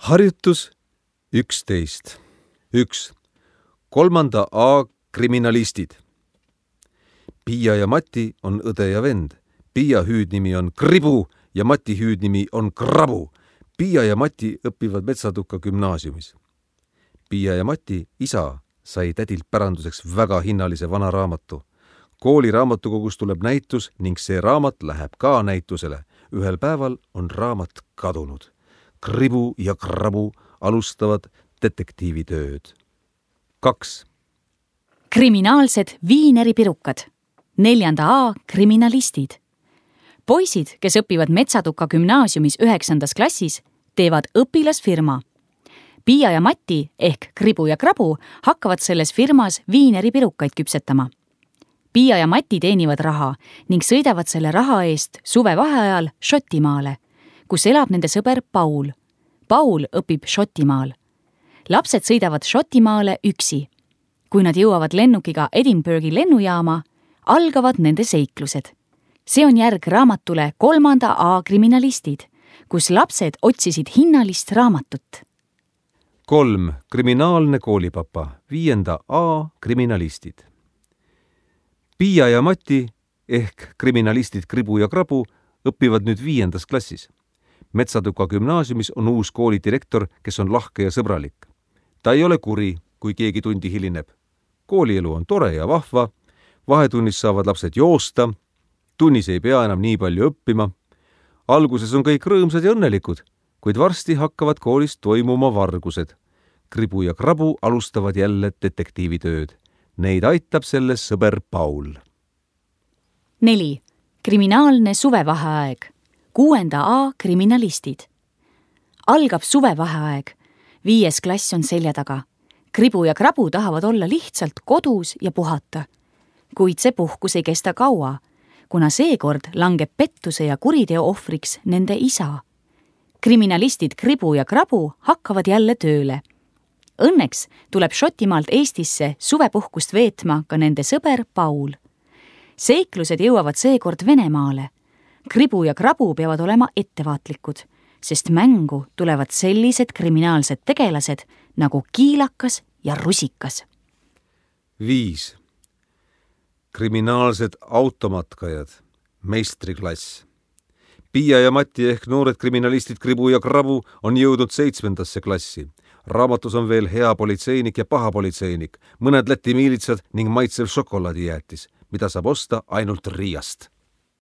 Harjutus 11. 1. 3. A kriminalistid. Piia ja Mati on õde ja vend. Piia hüüdnimi on Kribu ja Mati hüüdnimi on Krabu. Piia ja Mati õpivad Metsatukka gümnaasiumis. Piia ja Mati isa sai tädilt päranduseks väga hinnalise vana raamatu. Kooli raamatukogus tuleb näitus ning see raamat läheb ka näitusele. Ühel päeval on raamat kadunud. Kribu ja Krabu alustavad detektiivitööd. 2. Kriminaalsed viineripirukad. 4. A kriminalistid. Poisid, kes õpivad Metsatukka gümnaasiumis 9. klassis, teevad õpilasfirma. Piia ja Mati ehk Kribu ja Krabu hakkavad selles firmas viineripirukaid küpsetama. Piia ja Mati teenivad raha ning sõidavad selle raha eest suvevaheajal Šotimaale, kus elab nende sõber Paul. Paul õpib Šotimaal. Lapsed sõidavad Šotimaale üksi. Kui nad jõuavad lennukiga Edinburghi lennujaama, algavad nende seiklused. See on järg raamatule 3. A kriminalistid, kus lapsed otsisid hinnalist raamatut. 3. Kriminaalne koolipapa. 5. A kriminalistid. Piia ja Mati ehk kriminalistid Kribu ja Krabu õpivad nüüd 5. klassis. Metsatukka gümnaasiumis on uus koolidirektor, kes on lahke ja sõbralik. Ta ei ole kuri, kui keegi tundi hilineb. Koolielu on tore ja vahva, vahetunnis saavad lapsed joosta, tunnis ei pea enam nii palju õppima. Alguses on kõik rõõmsad ja õnnelikud, kuid varsti hakkavad koolis toimuma vargused. Kribu ja Krabu alustavad jälle detektiivitööd. Neid aitab selles sõber Paul. 4. Kriminaalne suvevaheaeg. 6. A kriminalistid. Algab suvevaheaeg. 5. klass on selja taga. Kribu ja Krabu tahavad olla lihtsalt kodus ja puhata. Kuid see puhkus ei kesta kaua, kuna seekord langeb pettuse ja kuriteo ohvriks nende isa. Kriminalistid Kribu ja Krabu hakkavad jälle tööle. Õnneks tuleb Šotimaalt Eestisse suvepuhkust veetma ka nende sõber Paul. Seiklused jõuavad seekord Venemaale. Kribu ja Krabu peavad olema ettevaatlikud, sest mängu tulevad sellised kriminaalsed tegelased nagu kiilakas ja rusikas. 5. Kriminaalsed automatkajad. Meistriklass. Piia ja Mati ehk noored kriminalistid Kribu ja Krabu on jõudnud 7. klassi. Raamatus on veel hea politseinik ja paha politseinik, mõned Läti miilitsad ning maitsev šokolaadijäätis, mida saab osta ainult Riiast.